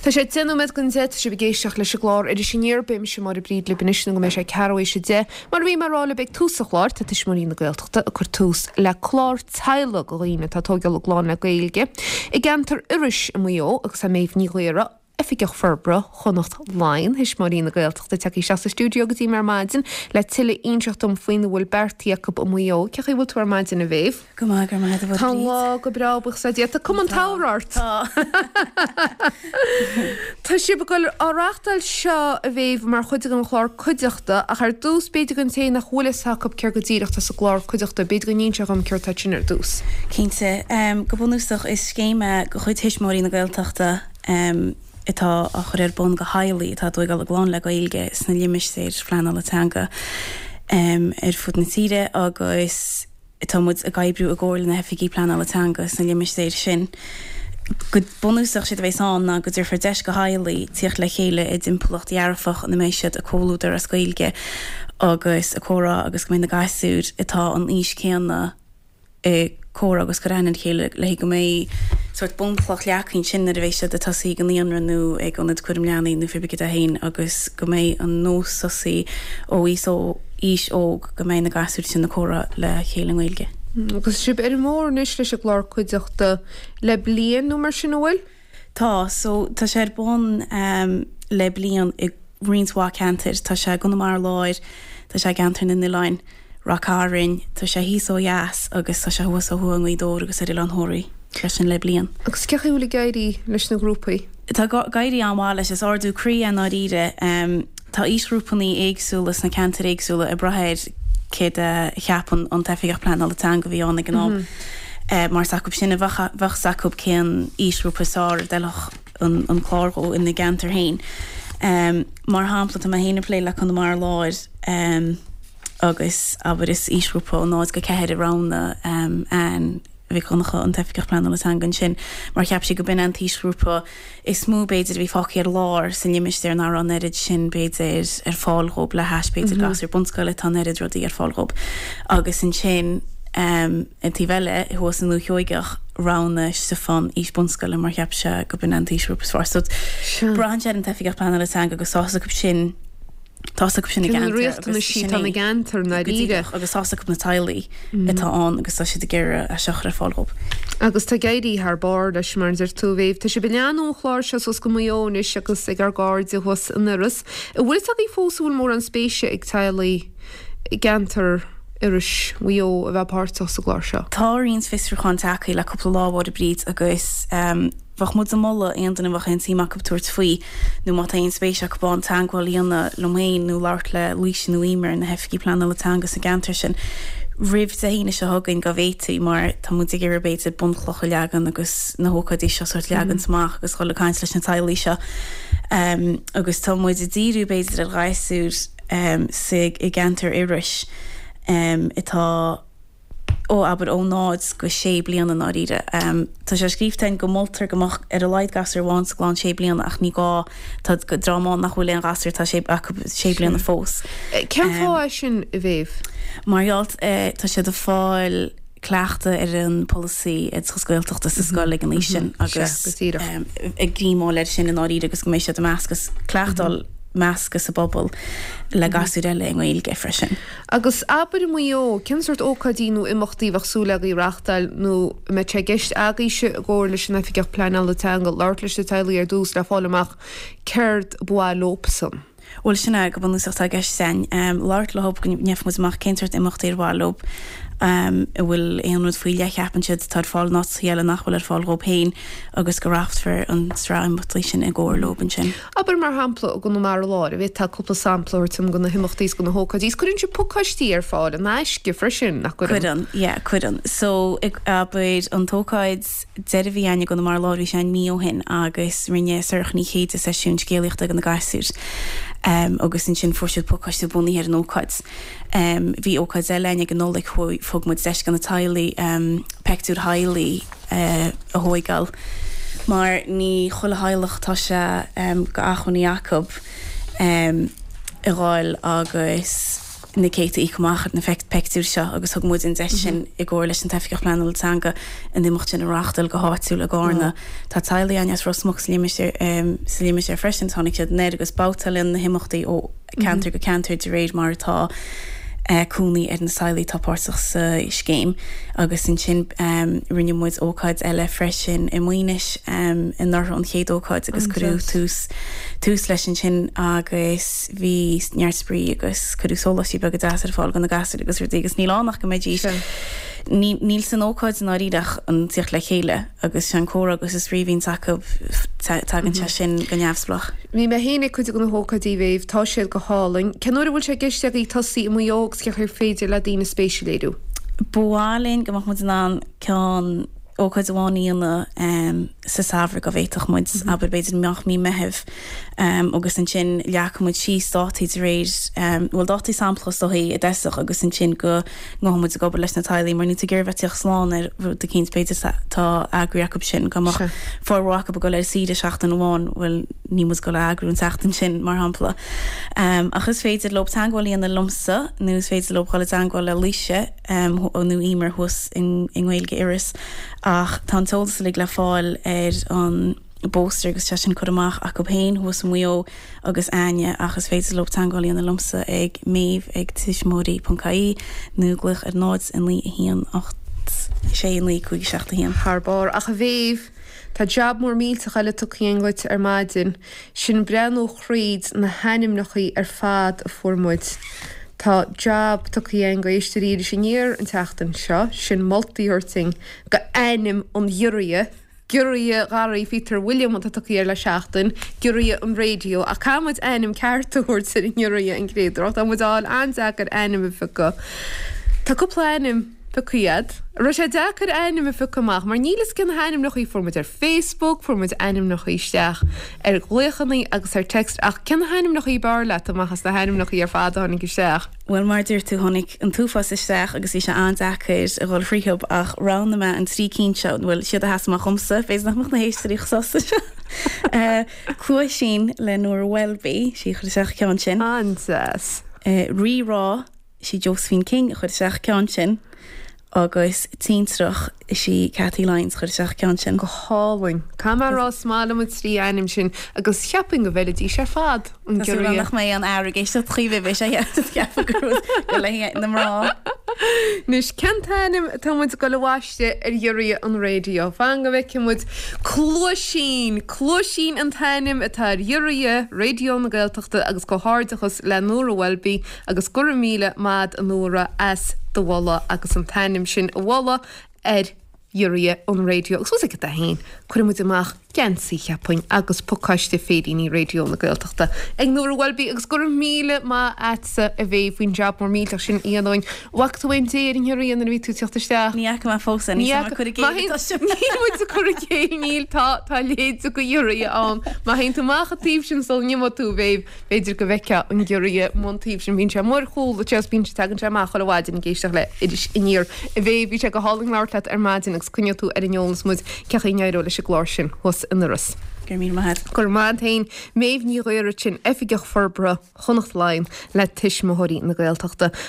Tá sé 10 nóiméad don 10, tá sibh ag éisteacht leis an gclár Iris Aniar, beidh mise Máire Bríd libh anois nó go mbeidh sé ceathrú théis 10. Mar a bhí mé ag rá libh ag tús an chláir, tá Tuismitheoirí na Gaeltachta ag cur tús le clár teaghlaigh do dhaoine atá ag tóigeáil a gclann le Gaeilge i gceantar Iorrais i Maigh Eo agus tá Méabh Ní Ghaora, Oifigeach Forbartha Chonnacht Laighean, Thuismitheoirí na Gaeltachta, tagtha isteach sa stiúideo go dtí mé ar maidin le tuilleadh inseacht dom faoina bhfuil beartaithe acu i Maigh Eo. Cén chaoi a bhfuil tú ar maidin, a Mhéabh? Go maith, go raibh maith agat, a Mháire Tá an lá go breá, buíochas le Dia. Tá cuma an tsamhraidh ort. Tá. Tá sibh ag dul á reachtáil seo, a Mhéabh, mar chuid den chlár Cuideachta, ach ar dtús, b'fhéidir don té nach bhfuil fhios acu céard go díreach atá sa gclár Cuideachta, b'fhéidir go n-inseofá dom céard atá ansin ar dtús. Cinnte. Go bunúsach, is scéim é de chuid Thuismitheoirí na Gaeltachta atá á chur ar bun do theaghlaigh atá ag tóigeáil a gclann le Gaeilge sna limistéir phleanála teanga ar fud na tíre agus tá muid ag oibriú i gcomhar le na hoifigí pleanála teanga sna limistéir sin. Go bunúsach, séard a bheas ann ná go dtabharfar deis do theaghlaigh tíocht le chéile i dtimpeallacht dhearfach ina mbeidh siad ag comhluadar as Gaeilge agus ag comhrá agus go mbeidh na gasúir atá an aois céanna ag comhrá agus cur aithne ar a chéile le go mbeidh sórt bunchloch leagtha ansin nuair a bheidh siad ag tosaí ag an naíonra nó ag ionad cúram leanaí nó pé ar bith cad é féin agus go mbeidh an nós tosaí ó aois aois óg go mbeidh na gasúir sin ag comhrá le chéile i nGaeilge. Agus sibh ar an mbóthar anois leis an gclár Cuideachta le bliain nó mar sin, an bhfuil? Tá, so tá sé ar bun le bliain i roinnt mhaith ceantair. Tá sé i gConamara Láir, tá sé i gCeantar na nOileáin, Ráth Cairn, tá sé thíos ó dheas agus tá sé thuas ó thuaidh i nGaoth Dobhair agus ar Oileán Thoraí freisin le bliain. Agus cén chaoi a bhfuil ag éirí leis na grúpaí? Tá ag éirí an-mhaith leis. Is ardú croí é i ndáiríre. Tá aoisghrúpannaí éagsúla sna ceantair éagsúla ag brath ar céard a cheapann an tOifigeach Pleanála Teanga a bhí ann ag an am mar is acu sin a bheadh fhios acu cén aoisghrúpa is fearr a d'fheilfeadh an clár dhó ina gceantar féin. Mar shampla, tá mé féin ag plé le Conamara Láir agus abair is aoisghrúpa ó 0-4 a roghnaigh Anne Mhic Dhonncha, an tOifigeach Pleanála Teanga ansin, mar cheap sí go b'in an t-aoisghrúpa is mó, b'fhéidir, a bhí fágtha ar lár sa limistéar nach raibh an oiread sin, b'fhéidir, ar fáil dhób le hais, b'fhéidir, gasúir bunscoile, tá an oiread rudaí ar fáil dhób. Agus ansin, an taobh eile, thuas i nDúiche Sheoigeach, roghnaigh Stiofán aois bunscoile mar cheap sé go b'in an t-aoisghrúpa is fearr. So, braitheann sé ar an tOifigeach Pleanála Teanga agus tá fhios acu sin, Tá fhios acu sin i gceantar. Na riachtanais atá ina gceantar, ndáiríre. Agus tá fhios acu na teaghlaigh atá ann agus tá siad ag iarraidh é seo a chur ar fáil dhóibh. Agus tá ag éirí thar barr leis, mar a deir tú, a Mhéabh. Tá sibh ag leathnú an chláir seo suas go Maigh Eo anois agus ag ár gcairde thuas in Iorras. An bhfuil fhios agaibh fós an bhfuil mórán spéise ag teaghlaigh i gceantar Iorrais, Mhaigh Eo a bheith páirteach sa gclár seo? Tá roinnt fiosrúchán tagtha le cúpla lá, a Mháire Bríd, agus. Bheadh muid ag moladh aon duine a bheadh aon tsuim acu tabhairt faoi, nó má tá aon spéis acu ann, teagmháil a dhéanamh liom féin nó labhairt le Laoise nó Emer, na hOifigigh Pleanála Teanga sa gceantar sin, roimh Dé hAoine seo chugainn dá bhféadfaí, mar tá muid ag iarraidh b'fhéidir bunchloch a leagan agus na hócáidí seo sórt leagaint amach agus dhul ag caint leis na teaghlaigh seo. Agus tá muid ag díriú b'fhéidir ar ghasúir sa i gceantar Iorrais atá, ó abair ó 0 go 6 bliana i ndáiríre. Tá sé scríobhta againn go moltar go mbeadh ar a laghad gasúr amháin sa gclann 6 bliana ach ní gá, tá dream ann nach bhfuil aon ghasúr atá sé acu 6 bliana fós. Cén fáth é sin, a Mhéabh? Mar gheall tá siad ag fáil cleachtadh ar an polasaí oideachas Gaeltachta sa scoil ag an aois sin agus ag greamáil air sin i ndáiríre agus go mbeidh siad ag meascadh, cleachtáil meascadh sa bpobal le gasúir eile i nGaeilge freisin. Agus abair i Maigh Eo, cén sórt ócáidí nó imeachtaí a bheadh súil agaibh a reachtáil nó an mbeidh sé i gceist agaibhse i gcomhar leis an Oifigeach Pleanála Teanga labhairt leis na teaghlaigh ar dtús le fáil amach céard ba mhaith leobsan? Bhuel, sin é go bunúsach atá i gceist againn. Labhairt leo go ndéanfaidh muid amach cén sórt imeachtaí ar mhaith leo, an bhfuil aon rud faoi leith a cheapann siad atá ar fáil in áiteacha eile nach bhfuil ar fáil dhóibh féin agus go reáchtfar an tsraith imeachtaí sin i gcomhar leo ansin. Abair, mar shampla, i gConamara Láir, an bhféadfá cúpla sampla a thabhairt dom de na himeachtaí is de na hócáidí. Is cuireann sibh pacáistí ar fáil in aisce freisin, nach gcuireann? Cuireann, yeah, cuireann. So, abair, an t-ócáid deiridh a bhí againn i gConamara Láir, bhí sé ann mí ó shin agus rinne Sorcha Ní Chéide seisiún scéalaíochta do na gasúir agus ansin fuair siad pacáiste bunaithe ar an ócáid. Bhí ócáid eile againn ag an Nollaig, thug muid deis do na teaghlaigh peictiúir theaghlaigh a thóigeáil mar ní chuile theaghlach atá sé d'acmhainní acu a dhul agus. Na céadta íoctha amach ar na peictiúir seo agus thug muid an deis sin i gcomhar leis an tOifigeach Pleanála Teanga an imeacht sin a reáchtáil go háitiúil i gCarna. Tá teaghlaigh againn as Ros Muc sa limistéar freisin, tháinig siad anoir agus babhtálann na himeachtaí ó cheantar go ceantar de réir mar atá cónaí ar na teaghlaigh atá páirteach sa scéim. Agus ansin rinne muid ócáid eile freisin i Maínis anuraidh an chéad ócáid agus cuireadh tús tús leis ansin agus bhí neart spraoi agus cuireadh sóláistí beaga deasa ar fáil do na gasúir agus rudaí agus níl ann ach go mbeidís, níl san ócáid i ndáiríre ach an tíocht le chéile agus sé an comhrá agus an spraoi a bhíonns acu, tagann sé sin go neamhspleách. Bhí mé féin ag cuid de na hócáidí a Mhéabh, tá siad go hálainn. Cén uair a bhfuil sé i gceist agaibh tosaí i Maigh Eo agus cén chaoi ar féidir le daoine spéis a léiriú? Ba mhaith linn go mbeadh muid in ann ceann, ócáid amháin a dhéanamh sa samhradh go bhféadfadh muid, abair b'fhéidir amach mí Meithimh agus ansin leagfaidh muid síos dátaí de réir, bhuel dátaí samplacha is dóichí i dtosach agus ansin go ngabhfaidh muid ag obair leis na teaghlaigh mar níl tú ag iarraidh bheith ag tíocht slán ar rud eicínt b'fhéidir tá eagraí acu sin go mbeadh formhór acu ag dul ar saoire seachtain amháin, bhuel níl muid ag dul a eagrú an tseachtain sin mar shampla. Ach is féidir leo teagmháil a dhéanamh liomsa nó is féidir leo dhul i dteagmháil le Laoise. nó Emer thuas i nGaeilge Iorrais ach tá an t-eolas uilig le fáil ar an bpóstaer agus tá sin curtha amach acu féin thuas i Maigh Eo agus Áine ach is féidir leo teagmháil a dhéanamh liomsa ag Maeve ag tuismitheoirí ponc ie nó glaoch ar 0 9 1 8 6 9 5 7 1. Thar barr. Ach a Mhéabh, tá jab mór millteach eile tugtha againn dhuit ar maidin. Sin breathnú thríd na hainmneachaí ar fad a fuair muid. Tá jab tugtha againn go éisteoirí Iris Aniar an tseachtain seo, sin moltaí a thabhairt dúinn go ainm an ghiorria, Giorria Gharraí Phíotair William atá tugtha air le seachtain, Giorria an Raidió, ach caithfidh muid ainm ceart a thabhairt ar an ngiorria an chéad uair, tá muid á fháil an-deacair ainm a phiocadh. Tá cúpla ainm pioctha agat. An raibh sé deacair ainm a phiocadh amach mar níl fhios cé na hainmneachaí fuair muid ar Facebook, fuair muid ainmneachaí isteach ar ghlaochannaí agus ar text ach cé na hainmneachaí b'fhearr leat amach as na hainmneachaí ar fad a tháinig isteach? Bhuel mar a dúirt tú tháinig an t-uafás isteach agus bhí sé an-deacair a dhul thríothub ach roghnaigh mé an trí cinn seo, bhuel siad a sheas amach dhomsa, b'fhéidir nach mbeadh na héisteoirí chomh sásta seo. Cluaisín le Nóra Welby, sí a chuir isteach an ceann sin. An-deas. Rí Rá. Is í Josephine King a chuir isteach an ceann sin agus Tintreach, is í Cathy Lyons a chuir isteach an ceann sin. Go hálainn. Caithfidh mé a rá is maith liom an trí ainm sin agus cheapfainn go bhfeilfidís ar fad an Tá súil agam giorria. nach mbeidh aon fhear ag éisteacht chugaibh beidh sé ag ceapadh gur gur le haghaidh na mná. Anois, cén t-ainm atá muid ag dul a bhaisteadh ar ghiorria an raidió? Fan go bhfeicfidh muid. Cluaisín! Cluaisín an t-ainm atá ar ghiorria Raidió na Gaeltachta agus comhghairdeachas le Nóra Welby Agus go raibh míle maith a'd a Nóra as do mholadh agus an t-ainm sin a mholadh ar ghiorria an raidió. Agus bhfuil 's agat féin, cuirfidh muid amach geansaí, cheapfainn, agus pacáiste féiríní Raidió na Gaeltachta ag Nóra Welby agus go raibh míle maith a'dsa a Mhéabh faoin jab mór millteach sin a dhéanamh dúinn. Bhfaca tú aon dé ar an ghiorria nuair a bhí tú ag teacht isteach? Ní fhaca mé fós é, níl mé ag cur i gcéill atá sibh. Níl muid ag cur i gcéill, níl, tá, tá a leithéid de ghiorria ann. Má théann tú amach an taobh sin sula n-imeoidh tú, a Mhéabh, B'fhéidir go bhfeicfeá an giorria amuigh an taobh sin. Bíonn sé amuigh ar chúl duit agus bíonn sé, tagann sé amach chuile mhaidin ag éisteacht le Iris Aniar. A Mhéabh, bhí sé go hálainn labhairt leat ar maidin agus coinneoidh tú ar an eolas muid cén chaoi a n-éireoidh leis an gclár sin thuas in Iorras. Go raibh míle maith agat. Go raibh maith agat féin. Méabh Ní Ghaora ansin, Oifigeach Forbartha Chonnacht Laighean le Tuismitheoirí na Gaeltachta.